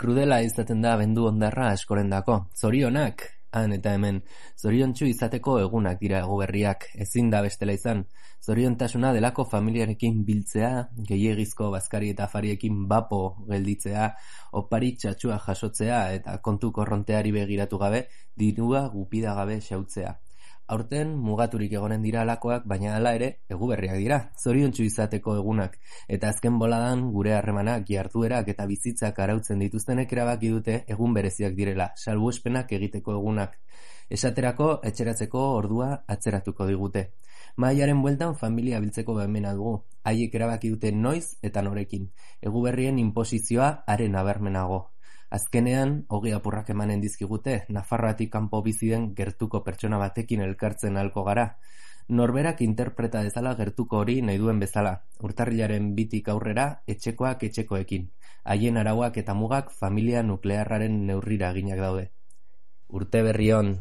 Krudela izaten da abendu hondarra askorendako. Zorionak, han eta hemen. Zoriontsu izateko egunak dira eguberriak, ezin da bestela izan. Zoriontasuna delako familiarekin biltzea, gehiegizko bazkari eta afariekin bapo gelditzea, opari txatxua jasotzea eta kontu korronteari begiratu gabe, dirua gupida gabe xautzea. Aurten mugaturik egonen dira alakoak, baina hala ere eguberriak dira, zoriontsu izateko egunak, eta azken boladan gure harremanak, jarduerak eta bizitzak arautzen dituztenek erabaki dute egun bereziak direla, salbuespenak egiteko egunak. Esaterako, etxeratzeko ordua atzeratuko digute. Mahaiaren bueltan familia biltzeko baimena dugu, haiek erabaki dute noiz eta norekin, eguberrien inposizioa haren abermenago. Azkenean, ogi apurrak emanen dizkigute, Nafarroatik kanpo bizi den gertuko pertsona batekin elkartzen ahalko gara. Norberak interpreta dezala gertuko hori nahi duen bezala, urtarrilaren 2tik aurrera, etxekoak etxekoekin. Haien arauak eta mugak familia nuklearraren neurrira eginak daude. Urte berri on!